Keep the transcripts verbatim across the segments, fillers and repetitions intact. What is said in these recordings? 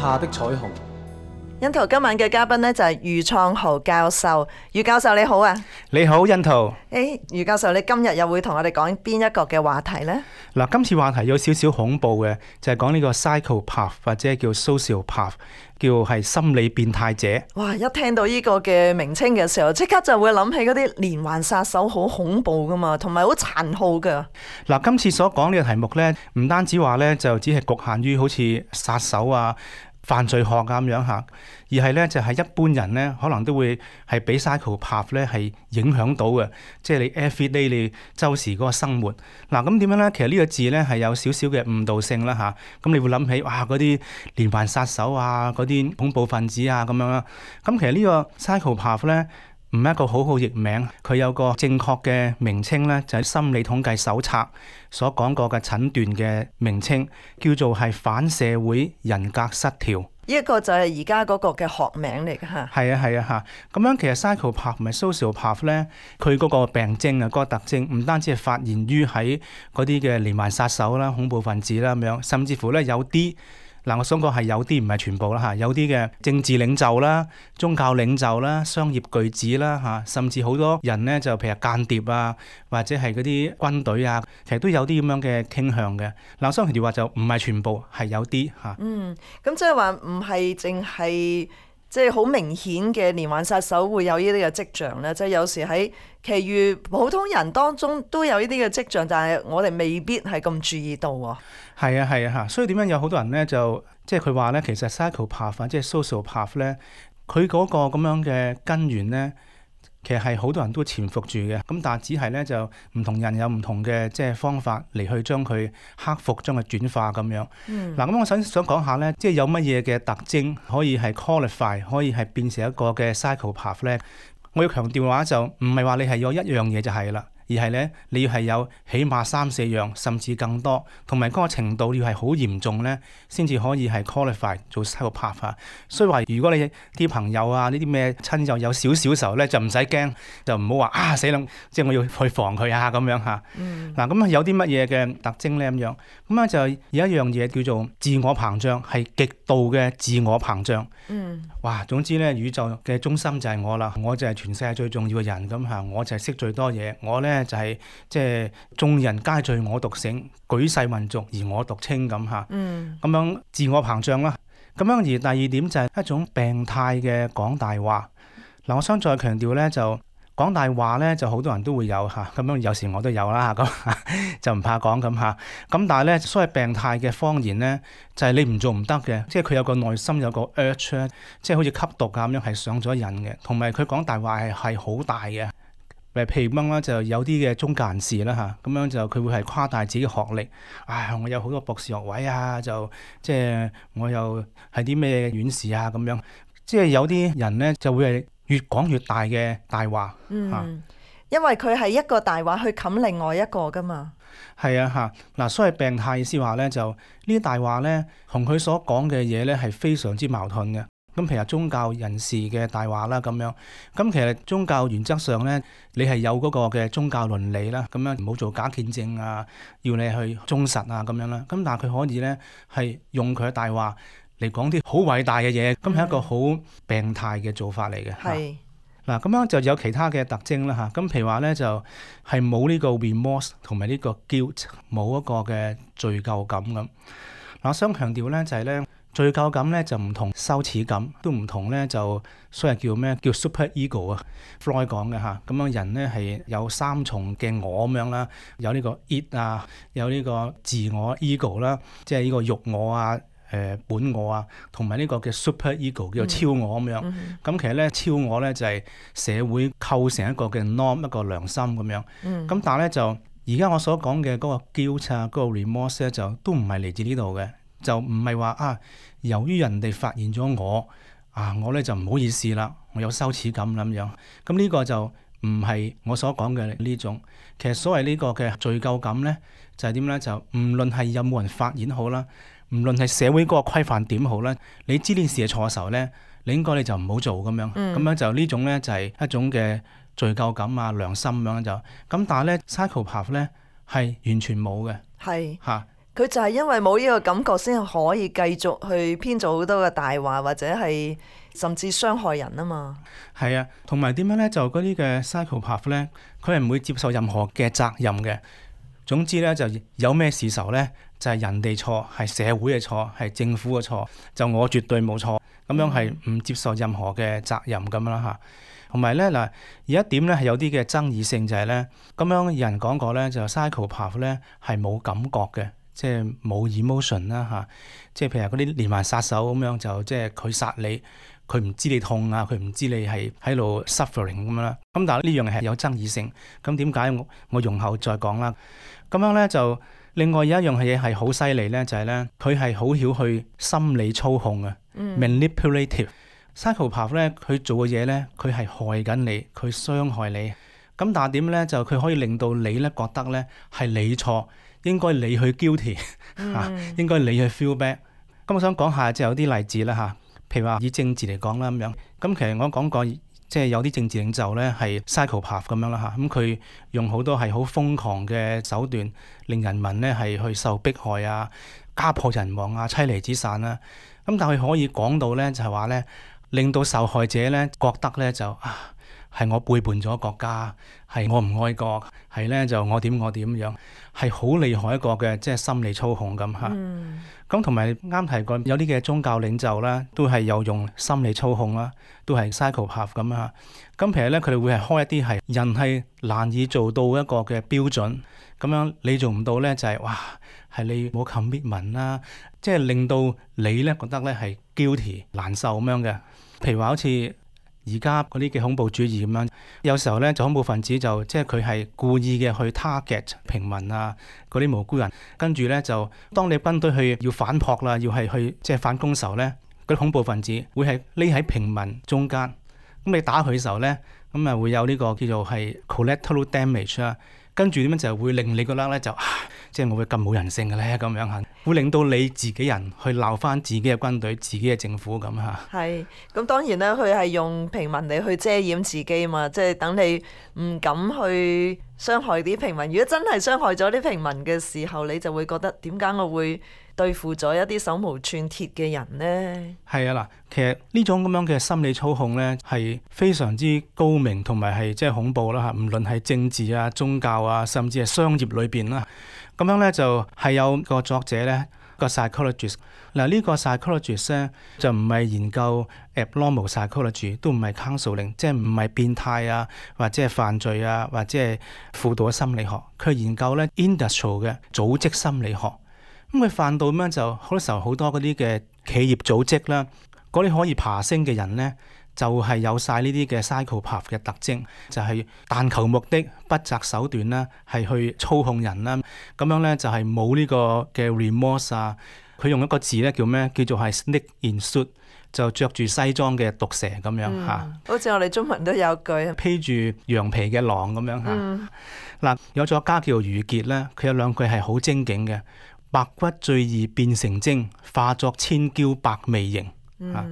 下的彩虹。欣圖今晚嘅嘉賓呢，就係余創豪教授。余教授你好啊。你好，欣圖。誒，余教授，你今日又會同我哋講邊一個嘅話題呢？嗱，今次話題有少少恐怖嘅，就係講呢個 psychopath 或者叫 sociopath， 叫係心理變態者。哇！一聽到呢個嘅名稱嘅時候，即刻就會諗起嗰啲連環殺手，好恐怖噶嘛，同埋好殘酷噶。嗱，今次所講呢個題目呢，唔單止話呢，就只係局限於好似殺手啊、犯罪學啊咁樣嚇，而係咧就係、是、一般人咧，可能都會係俾 psychopath 咧係影響到嘅，即係你 everyday 你周時嗰個生活。嗱，咁點樣咧？其實呢個字咧係有少少嘅誤導性啦嚇。咁你會諗起哇嗰啲連環殺手啊，嗰啲恐怖分子啊咁樣啦。咁其實呢個 psychopath 咧唔係一個好好譯名，佢有個正確嘅名稱咧，就係心理統計手冊所講過嘅診斷嘅名稱，叫做係反社會人格失調。呢一個就係而家嗰個嘅學名嚟嘅嚇。係啊係啊嚇，咁樣其實 psychopath 同埋 sociopath 咧，佢嗰個病徵啊，嗰個特徵唔單止係發現於喺嗰啲嘅連環殺手啦、恐怖分子啦咁樣，甚至乎咧有啲。嗱，我想講係有啲唔係全部啦嚇，有啲嘅政治領袖啦、宗教領袖啦、商業巨子啦嚇，甚至好多人呢，就譬如間諜啊，或者係嗰啲軍隊啊，其實都有啲咁樣嘅傾向嘅。嗱，所以佢哋話就唔係全部，係有啲嚇。嗯，咁即係話唔係淨係即係好明顯嘅連環殺手會有呢啲嘅跡象咧，即係有時喺其餘普通人當中都有呢啲嘅跡象，但係我哋未必係咁注意到喎。係啊係啊嚇，所以點樣有好多人咧就即係佢話咧，其實 psychopath 即係 sociopath 咧，佢嗰個咁樣嘅根源咧，其實係好多人都潛伏住嘅。咁但係只係咧就唔同人有唔同嘅即係方法嚟去將佢克服、將佢轉化咁樣。嗱、嗯，咁我想想講下咧，即係有乜嘢嘅特徵可以係 qualify，可以係變成一個嘅 psychopath 咧？我要強調嘅話就唔係話你係有一樣嘢就係啦。而係咧，你要係有起碼三四樣，甚至更多，同埋嗰個程度要係好嚴重咧，先至可以係 qualify 做 psychopath。所以話，如果你啲朋友啊，呢啲咩親友有少少時候咧，就唔使驚，就唔好話啊死啦，即係我要去防佢啊咁樣嚇。嗱、嗯，咁啊有啲乜嘢嘅特徵咧咁樣？咁啊就有一樣嘢叫做自我膨脹，係極度嘅自我膨脹。嗯。哇，總之咧，宇宙嘅中心就係我啦，我就係全世界最重要嘅人咁嚇，我就係識最多嘢，我咧。就係即係眾人皆醉我獨醒，舉世混濁而我獨清咁嚇。嗯，咁樣自我膨脹啦。咁樣而第二點就係一種病態嘅講大話。嗱，我想再強調咧，就講大話咧，就好多人都會有嚇。咁樣有時我都有啦，咁就唔怕講咁嚇。咁但係咧，所謂病態嘅謊言咧，就係你唔做唔得嘅，即係佢有個內心有個 urge， 即係好似吸毒咁樣係上咗癮嘅，同埋佢講大話係係好大嘅。譬如咁啦，就有啲嘅宗教人士啦嚇，咁樣就佢會係誇大自己嘅學歷，唉，我有好多博士學位啊，就即係我又係啲咩院士啊咁樣，即係有啲人咧就會係越講越大嘅大話嚇，嗯，因為佢係一個大話去冚另外一個噶嘛。係啊嚇，嗱，所謂病態意思話咧，就呢啲大話咧，同佢所講嘅嘢咧係非常之矛盾嘅。咁譬如宗教人士嘅大話啦咁樣，咁其實宗教原則上咧，你係有嗰個嘅宗教倫理啦，咁樣唔好做假見證啊，要你去忠實啊咁樣啦。咁但係佢可以咧係用佢嘅大話嚟講啲好偉大嘅嘢，咁係一個好病態嘅做法嚟嘅。係嗱，咁樣就有其他嘅特徵啦嚇。咁譬如話咧就係冇呢個 remorse 同埋呢個 guilt， 冇一個嘅罪疚感咁。嗱，我想強調咧就係咧。罪疚感咧就唔同羞恥感，都唔同咧就所謂叫咩叫 super ego 啊 Freud 講嘅嚇，咁樣人咧係有三重嘅我咁樣啦，有呢個 id 啊，有呢個自我 ego 啦，即係呢個欲我啊、誒、呃、本我啊，同埋呢個嘅 super ego 叫做超我咁樣。咁、嗯嗯、其實咧超我咧就係社會構成一個嘅 norm 一個良心咁樣。咁、嗯、但係咧就而家我所講嘅嗰個 guilt 啊、嗰個 remorse 咧就都唔係嚟自呢度嘅。就唔係話啊，由於人哋發現咗我啊，我咧就唔好意思啦，我有羞恥感咁樣。咁呢個就唔係我所講嘅呢種。其實所謂呢個嘅罪疚感咧，就係點咧？就唔論係有冇人發現好啦，唔論係社會嗰個規範點好啦，你知呢事係錯嘅時候咧，你應該你就唔好做咁樣。咁、嗯、樣就呢種咧就係一種嘅罪疚感啊、良心咁樣就。咁但係咧 psychopath 咧係完全冇嘅。係嚇。佢就係因為冇呢個感覺，先可以繼續去編造好多嘅大話，或者係甚至傷害人啊嘛。係啊，同埋點樣咧？就嗰啲嘅 psychopath 咧，佢係唔會接受任何嘅責任嘅。總之咧，就有咩事時候咧，就係人哋錯，係社會嘅錯，係政府嘅錯，就我絕對冇錯，咁樣係唔接受任何嘅責任咁啦嚇。同埋咧嗱，有一點咧係有啲嘅爭議性就係咧，咁樣有人講過咧，就 psychopath 咧係冇感覺嘅，即係冇 emotion 啦嚇。即係譬如嗰啲連環殺手咁樣，就即係佢殺你，佢唔知你痛啊，佢唔知你係喺度 suffering 咁樣啦。咁但係呢樣嘢係有爭議性。咁點解我我容後再講啦？咁樣咧就另外有一樣嘢係好犀利咧，就係咧佢係好曉去心理操控啊、嗯、manipulative。psychopath 咧佢做嘅嘢咧，佢係害緊你，佢傷害你。咁但係點咧？就佢可以令到你咧覺得咧係你錯，應該你去 guilty 嚇、嗯，應該你去 feel bad。咁我想講下就有啲例子啦嚇，譬如話以政治嚟講啦咁樣。咁其實我講過，即係有啲政治領袖咧係 psychopath 咁樣啦嚇。咁佢用好多係好瘋狂嘅手段，令人民咧係去受迫害啊、家破人亡啊、妻離子散啊。咁但係佢可以講到咧就係話咧，令到受害者咧覺得咧就啊係我背叛咗國家，係我唔愛國，係咧就我點我點樣，係好厲害一個嘅即係心理操控咁嚇。咁同埋啱提過有啲嘅宗教領袖啦，都係有用心理操控啦，都係 psychopath 咁嚇。咁其實咧佢哋會係開一啲係人係難以做到一個嘅標準，咁樣你做唔到咧就係、是、哇係你冇 commitment 啦，即係令到你咧覺得咧係 guilty 難受咁樣嘅。譬如話好似而家嗰啲嘅恐怖主義咁樣，有時候咧就恐怖分子就即係佢係故意嘅去 target 平民啊，嗰啲無辜人，跟住咧就當你軍隊去要反撲啦，要係去即係反攻時候咧，嗰啲恐怖分子會係匿喺平民中間，咁你打佢嘅時候咧，咁啊會有呢個叫做係 collateral damage 啦，跟住點樣就會令你覺得咧就啊，即係我會咁冇人性嘅咧咁樣嚇，會令到你自己人去鬧翻自己嘅軍隊、自己嘅政府咁嚇。係，咁當然啦，佢係用平民嚟去遮掩自己嘛，即係等你唔敢去傷害啲平民。如果真係傷害咗啲平民嘅時候，你就會覺得點解我會對付咗一啲手無寸鐵嘅人呢？係啊嗱，其實呢種咁樣嘅心理操控咧，係非常之高明同埋係即係恐怖啦嚇。唔論係政治啊、宗教啊，甚至係商業裏邊啦，咁樣咧就係有個作者咧，個 psychologist。嗱呢個 psychologist 咧就唔係研究 abnormal psychology， 都唔係 counseling， 即係唔係變態啊，或者係犯罪啊，或者係輔導心理學。佢研究咧 industrial 嘅組織心理學。咁佢犯到咁樣就好多時候好多嗰啲嘅企業組織啦，嗰啲可以爬升嘅人咧，就係、是、有晒呢啲嘅 psychopath 嘅特徵，就係、是、但求目的、不擇手段啦，係去操控人啦。咁樣咧就係冇呢個嘅 remorse 啊。佢用一個字咧叫咩？叫做係 snake in suit， 就着住西裝嘅毒蛇咁樣嚇、嗯。好似我哋中文都有句披住羊皮嘅狼咁樣嚇。嗱、嗯，有作家叫余傑咧，佢有兩句係好精警嘅。白骨最易變成精，化作千嬌百媚型。嗯、啊，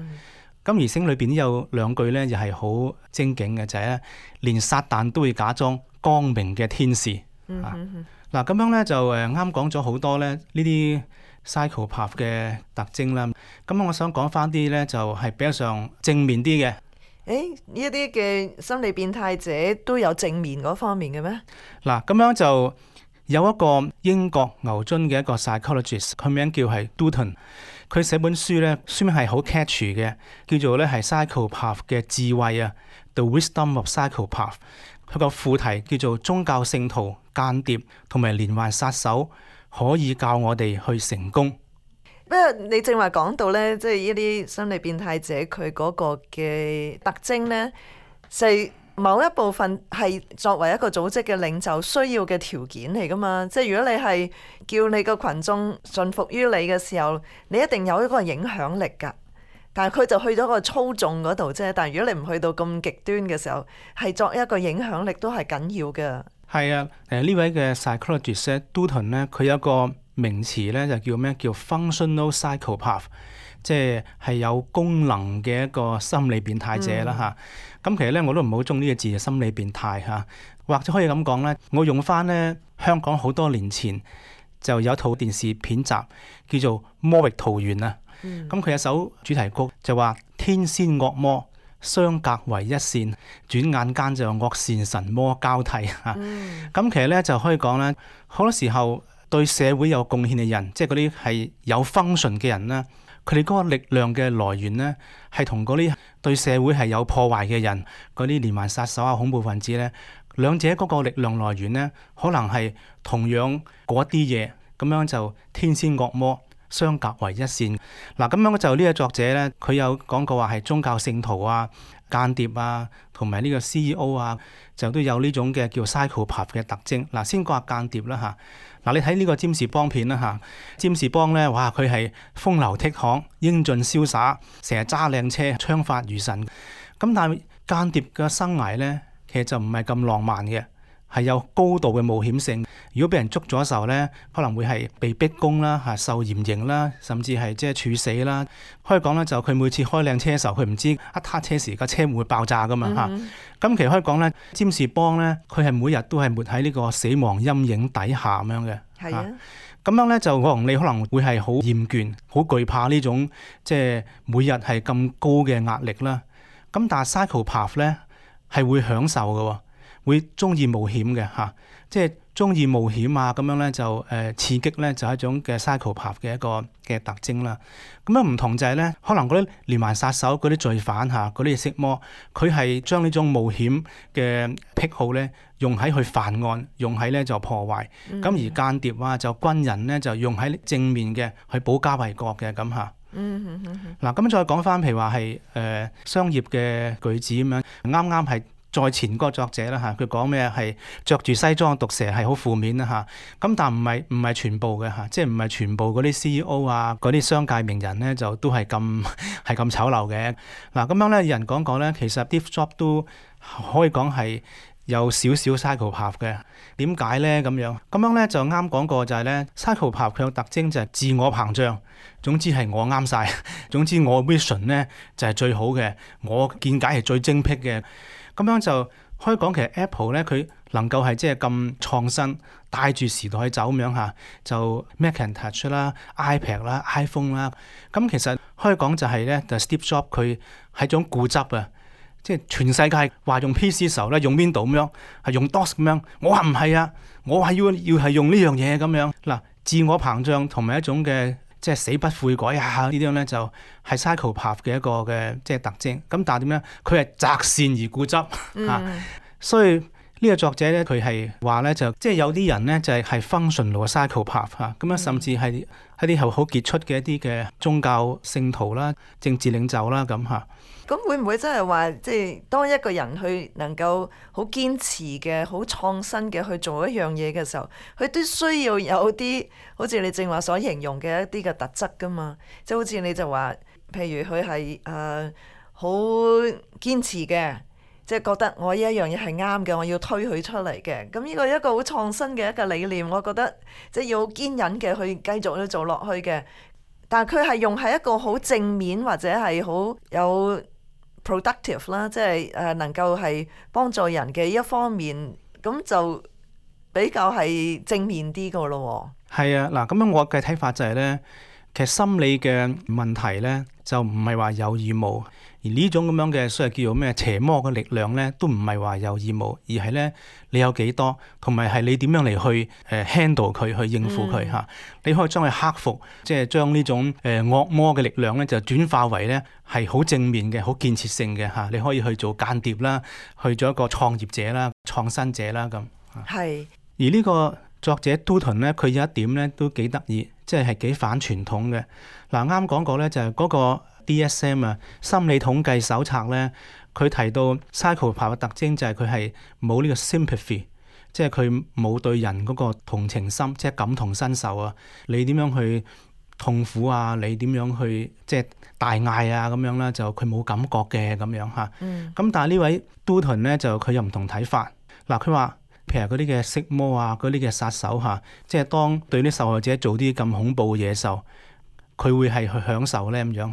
金魚星裏邊有兩句咧，又係好精警嘅，就係、是、咧，連撒旦都會假裝光明嘅天使。嗯嗱，咁、嗯啊、樣咧就誒啱講咗好多咧呢啲 psychopath 嘅特徵啦。咁我想講翻啲咧，就係、是、比較上正面啲嘅。誒，呢一啲嘅心理變態者都有正面嗰方面嘅咩？嗱、啊，咁樣就。有一個英國牛津嘅一個 psychologist， 佢名叫係 Dutton， 佢寫本書咧，書名係好 catchy 嘅，叫做咧係 psychopath 嘅智慧啊 ，The Wisdom of Psychopath。佢個副題叫做宗教聖徒、間諜同埋連環殺手可以教我哋去成功。不過你正話講到咧，即係呢啲心理變態者佢嗰個嘅特徵咧，係某一部分係作為一個組織嘅領袖需要嘅條件嚟噶嘛，即係如果你係叫你個群眾順服於你嘅時候，你一定有一個影響力噶。但係佢就去咗個操縱嗰度啫。但係如果你唔去到咁極端嘅時候，係作一個影響力都係緊要嘅。係啊，誒呢位嘅 psychologist Dutton 咧，佢有一個名詞咧就叫咩？叫 functional psychopath， 即係係有功能嘅一個心理變態者啦嚇。嗯咁其實咧，我都唔好中呢個字，心理變態嚇，或者可以咁講咧，我用翻咧香港好多年前就有一套電視片集叫做《魔域桃源》啊。咁佢、嗯、有首主題曲就話天仙惡魔相隔為一線，轉眼間就惡善神魔交替嚇。咁、嗯、其實咧就可以講咧，好多時候對社會有貢獻嘅人，即係嗰啲係有 function 嘅人啦，佢哋嗰個力量嘅來源咧，係同嗰啲對社會係有破壞嘅人，嗰啲連環殺手啊、恐怖分子咧，兩者嗰個力量來源咧，可能係同樣嗰啲嘢，咁樣就天仙惡魔相隔為一線。嗱，咁樣就呢個作者咧，佢有講過話係宗教聖徒啊、間諜啊，同埋呢個 C E O 啊，就都有呢種嘅叫 psychopath 嘅特徵。嗱，先講下間諜啦嚇。嗱，你睇呢個占士邦片啦嚇，占士邦咧，哇，佢係風流倜儻、英俊瀟灑，成日揸靚車、槍法如神。咁但係間諜嘅生涯咧，其實就唔係咁浪漫嘅，係有高度嘅冒險性。如果俾人捉咗嘅時候咧，可能會係被逼供啦、嚇受嚴刑啦，甚至係即係處死啦。可以講咧，就佢每次開靚車嘅時候，佢唔知一撻車時架車會唔會爆炸噶嘛嚇。咁、嗯嗯、其實可以講咧，占士邦咧，佢係每日都係活喺呢個死亡陰影底下咁樣嘅。係啊，咁樣咧就我同你可能會係好厭倦、好懼怕呢種即係每日係咁高嘅壓力啦。咁但係 psychopath 咧係會享受嘅喎。會中意冒險嘅嚇，即係中意冒險啊咁樣咧就誒、呃、刺激咧就係一種嘅 psychopath 嘅一個嘅特徵啦。咁樣唔同就係咧，可能嗰啲連環殺手、嗰啲罪犯嚇、嗰啲色魔，佢係將呢種冒險嘅癖好咧用喺去犯案，用喺咧就破壞。咁、嗯、而間諜啊就軍人咧就用喺正面嘅去保家衛國嘅咁嚇。嗯嗯嗯。嗱咁再講翻譬如話係誒商業嘅句子咁樣，啱啱係。在前嗰個作者啦嚇，佢講咩係着住西裝毒蛇係好負面啦嚇，咁但唔係唔係全部嘅嚇，即係唔係全部嗰啲 C E O 啊嗰啲商界名人咧就都係咁係咁醜陋嘅。嗱咁樣咧，有人講講咧，其實 Steve Jobs 都可以講係有少少 psychopath 嘅。點解咧咁樣？咁樣咧就啱講過就係咧 psychopath 佢有特徵就係自我膨脹，總之係我啱晒，總之我 vision 咧就係最好嘅，我見解係最精闢嘅。咁樣就可以講，其實 Apple 咧佢能夠係即係咁創新，帶住時代去走咁樣嚇，就 Macintosh 啦、iPad 啦、iPhone 啦。咁其實可以講就係咧，就 Steve Jobs 佢係種固執啊，即係全世界話用 P C 時候咧用 Windows 咁樣，係用 DOS 咁樣。我話唔係啊，我話要要係用呢樣嘢咁樣。嗱，自我膨脹同埋一種嘅。即係死不悔改啊！呢啲咧就係 psychopath 嘅一個嘅即係特徵。咁但係點咧？佢係擇善而固執、嗯、啊！所以呢個作者咧，佢係話咧就即係有啲人咧就係係 functional 嘅 psychopath 嚇。咁啊，甚至係一啲好好傑出嘅一啲嘅宗教聖徒啦、政治領袖啦咁嚇。咁會唔會真係話，即係當一個人去能夠好堅持嘅、好創新嘅去做一樣嘢嘅時候，佢都需要有啲好似你正話所形容嘅一啲嘅特質噶嘛？即係好似你就話，譬如佢係誒好堅持嘅，即係覺得我呢一樣嘢係啱嘅，我要推佢出嚟嘅。咁呢個一個好創新嘅一個理念，我覺得即係要好堅忍嘅去繼續去做落去嘅。但係佢係用喺一個好正面或者係好有productive 啦，即係誒能夠係幫助人嘅一方面，咁就比較係正面啲個咯。係啊，嗱咁樣我嘅睇法就係咧，其實心理嘅問題咧就唔係話有與冇，而呢種咁樣嘅所謂叫做咩邪魔嘅力量咧，都唔係話有與冇，而係咧你有幾多，同埋係你點樣嚟去誒 handle 佢，去應付佢嚇。嗯、你可以將佢克服，即係將呢種誒惡魔嘅力量咧，就轉化為咧係好正面嘅、好建設性嘅嚇。你可以去做間諜啦，去做一個創業者啦、創新者啦咁。係。是而呢個作者 Dutton 咧，佢有一點咧都幾得意，即係係幾反傳統嘅。嗱啱講過咧，就係嗰個 D S M 啊，心理統計手冊咧，佢提到 psychopath 嘅特徵就係佢係冇呢個 sympathy， 即係佢冇對人嗰個同情心，即係感同身受啊。你點樣去痛苦啊？你點樣去即係大嗌啊？咁樣啦，就佢冇感覺嘅咁樣嚇。咁、嗯、但係呢位 Dutton 咧，就佢又唔同睇法。嗱，佢話。譬如嗰啲嘅色魔啊，嗰啲嘅殺手嚇，即係當對啲受害者做啲咁恐怖嘅嘢時候，佢會係去享受咧咁樣。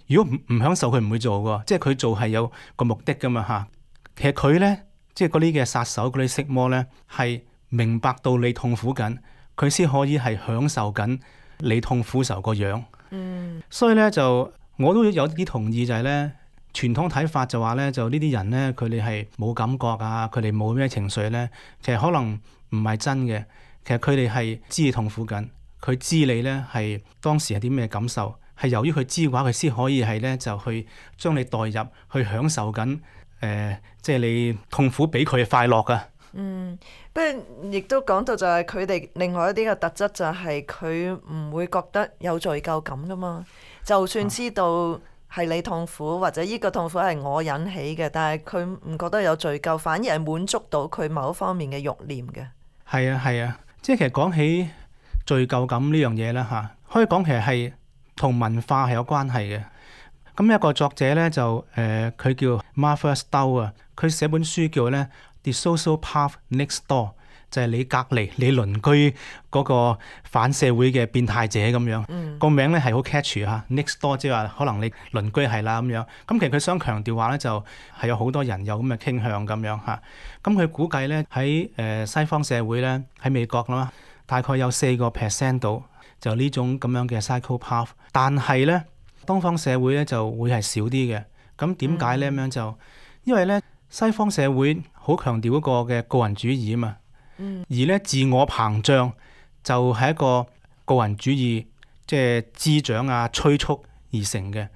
如果唔唔享受，佢唔會做嘅，即係佢做係有個目的噶嘛嚇。其實佢咧，即係嗰啲嘅殺手、嗰啲色魔咧，係明白到你痛苦緊，佢先可以係享受緊你痛苦受個樣。嗯，所以咧就我都有啲同意就係咧，傳統睇法就話咧，就呢啲人咧佢哋係冇感覺啊，佢哋冇咩情緒咧，其實可能唔係真嘅。其實佢哋係知你痛苦緊，佢知你咧係當時係啲咩感受，係由於佢知嘅話，佢先可以係咧就去將你代入去享受緊誒、呃，即係你痛苦俾佢嘅快樂噶。嗯，不過亦都講到就係佢哋另外一啲嘅特質就係佢唔會覺得有罪疚感噶嘛，就算知道係你痛苦或者呢個痛苦係我引起嘅，但係佢唔覺得有罪疚，反而係滿足到佢某一方面嘅慾念嘅。係啊係啊，即係其實講起罪疚感呢樣嘢啦嚇，可以講其實係同文化係有關係嘅。咁一個作者咧就誒佢、呃、叫 Martha Stowell 啊，佢寫本書叫咧The Social Path Next Door， 就係你隔離你鄰居嗰個反社會嘅變態者咁樣。嗯、個名咧係好 catchy 嚇 ，Next Door 即係話可能你鄰居係啦咁樣。咁其實佢想強調話咧就係有好多人有咁嘅傾向咁樣嚇。咁佢估計咧喺誒西方社會咧喺美國啦，大概有四個 percent 度就呢種咁樣嘅 psychopath， 但係咧東方社會咧就會係少啲嘅。咁點解咧咁樣就因為咧西方社會好強調嗰個嘅個人主義啊嘛，嗯、而咧自我膨脹就係一個個人主義即係滋長啊催促而成嘅。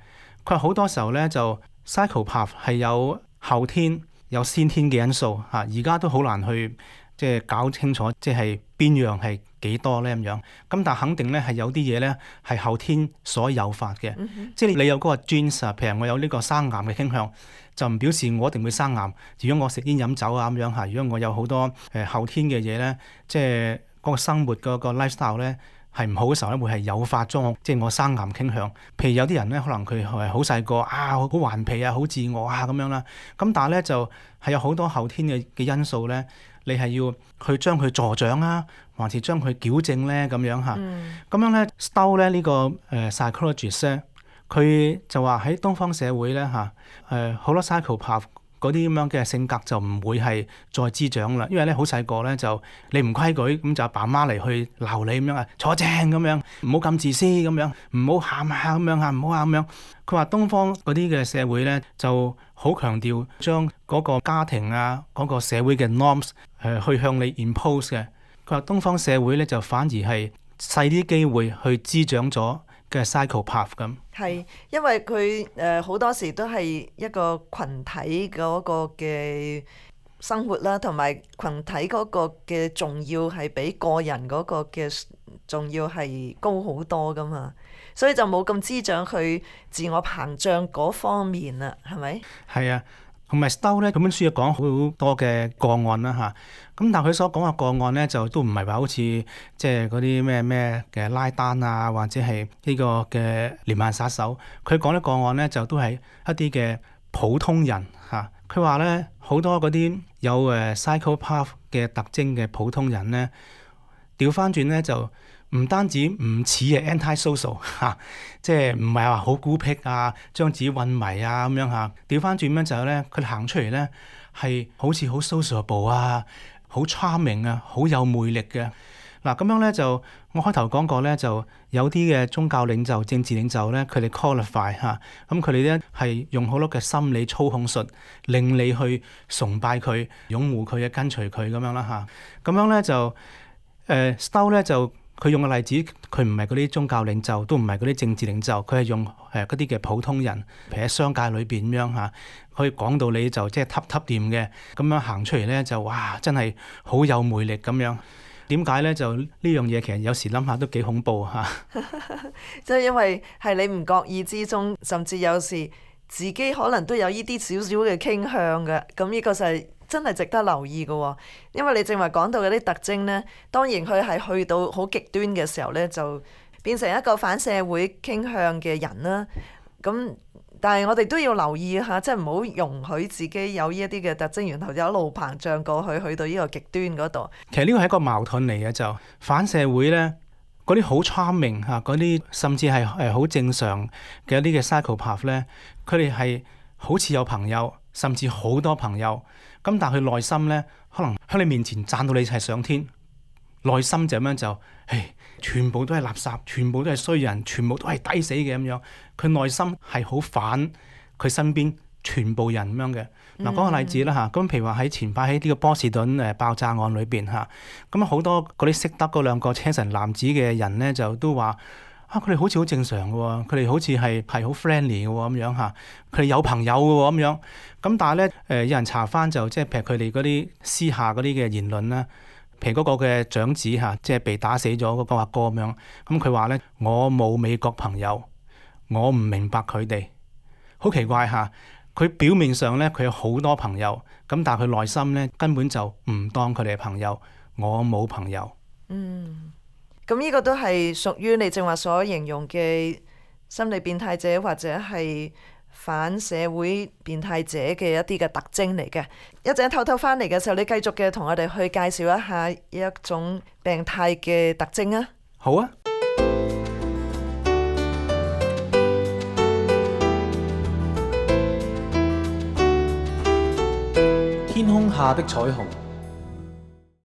佢話好多時候咧就 psychopath 係有後天有先天嘅因素嚇，而家都好難去即係搞清楚即係邊樣係幾多咧咁樣。咁但係肯定咧係有啲嘢咧係後天所誘發嘅，嗯、哼即係你有嗰個 genes 啊，譬如我有呢個生癌嘅傾向，就唔表示我一定會生癌。如果我食煙飲酒啊咁樣嚇，如果我有好多誒、呃、後天嘅嘢咧，即係嗰個生活嗰個 lifestyle 咧係唔好嘅時候咧，會係誘發咗我即係我生癌傾向。譬如有啲人咧，可能佢係好細個啊，好頑皮啊，好自我啊咁樣啦。咁但係咧就係有好多後天嘅嘅因素咧，你係要去將佢助長啊，還是將佢矯正咧咁樣嚇。咁、嗯、樣咧 Stowell 咧呢個誒、呃、psychologist 咧，佢就話喺東方社會咧嚇誒好多 psychopath 嗰啲咁樣嘅性格就唔會係再滋長啦，因為咧好細個咧就你唔規矩，咁就阿爸媽嚟去鬧你咁樣啊，坐正咁樣，唔好咁自私咁樣，唔好喊下咁樣嚇，唔好喊咁樣。佢話東方嗰啲嘅社會咧就好強調將嗰個家庭啊嗰、嗰個社會嘅 norms 誒、呃、去向你 impose 嘅。佢話東方社會咧就反而係細啲機會去滋長咗嘅 psychopath 咁。係，因為佢誒好多時都係一個群體嗰個嘅生活啦，同埋群體嗰個嘅重要係比個人嗰個嘅重要係高好多噶嘛，所以就冇咁滋長去自我膨脹嗰方面啦，係咪？係啊。同埋 Stowell 咧，咁本書又講好多嘅個案啦嚇，咁但係佢所講嘅個案咧，就都唔係話好似即係嗰啲咩咩嘅拉丹啊，或者係呢個嘅連環殺手。佢講啲個案咧，就都係一啲嘅普通人嚇。佢話咧，好多嗰啲有誒 psychopath 嘅特徵嘅普通人咧，調翻轉咧就唔單止唔似係 anti-social 嚇，即係唔係話好孤僻啊，將自己混迷啊咁樣嚇。調翻轉咧就係咧，佢哋行出嚟咧係好似好 sociable 啊，好 charming 啊，好有魅力嘅。嗱咁樣咧就我開頭講過咧，就有啲嘅宗教領袖、政治領袖咧，佢哋 qualify 嚇，咁佢哋咧係用好多嘅心理操控術，令你去崇拜佢、擁護佢嘅、跟隨佢咁樣啦嚇。咁樣咧就誒 Stowell 咧就。佢用嘅例子，佢唔係嗰啲宗教領袖，都唔係嗰啲政治領袖，佢係用誒嗰啲嘅普通人，譬如喺商界裏邊咁樣嚇，可以講到你就即係揼揼掂嘅，咁樣行出嚟咧就哇，真係好有魅力咁樣。點解咧？就呢樣嘢其實有時諗下都幾恐怖嚇。即係因為係你唔覺意之中，甚至有時自己可能都有呢啲少少嘅傾向嘅，咁呢個就係。真係值得留意嘅喎，因為你正話講到嗰啲特徵呢，當然佢係去到好極端嘅時候呢，就變成一個反社會傾向嘅人啦。咁但係我哋都要留意下，即係唔好容許自己有呢一啲嘅特徵，然後就一路膨脹過去，去到呢個極端嗰度。其實呢個係一個矛盾嚟嘅，就反社會呢，嗰啲好 charming 嚇，嗰啲甚至係誒好正常嘅一啲嘅 psychopath 呢，佢哋係好似有朋友，甚至好多朋友。咁但係佢內心咧，可能喺你面前讚到你係上天，內心就咁樣就，唉，全部都係垃圾，全部都係衰人，全部都係抵死嘅咁樣。佢內心係好反佢身邊全部人咁樣嘅。嗱，講個例子啦嚇，咁譬如話喺前排喺呢個波士頓誒爆炸案裏邊嚇，咁好多嗰啲識得嗰兩個車臣男子嘅人咧，就都話啊，佢哋好似好正常嘅喎，佢哋好似係係好 friendly 嘅喎咁樣嚇，佢哋有朋友嘅喎咁樣。咁但係咧誒，有人查翻就即係譬如佢哋嗰啲私下嗰啲嘅言論啦，譬如嗰個嘅長子嚇，即係被打死咗嗰個阿哥咁樣。咁佢話咧，我冇美國朋友，我唔明白佢哋，好奇怪嚇。佢表面上咧，佢有好多朋友，咁但係佢內心咧根本就唔當佢哋係朋友。我冇朋友。嗯，咁呢個都係屬於你正話所形容嘅心理變態者或者係反社會變態者嘅一啲嘅特徵嚟嘅。一陣偷偷翻嚟嘅時候，你繼續嘅同我哋去介紹一下一種病態嘅特徵啊。好啊。天空下的彩虹。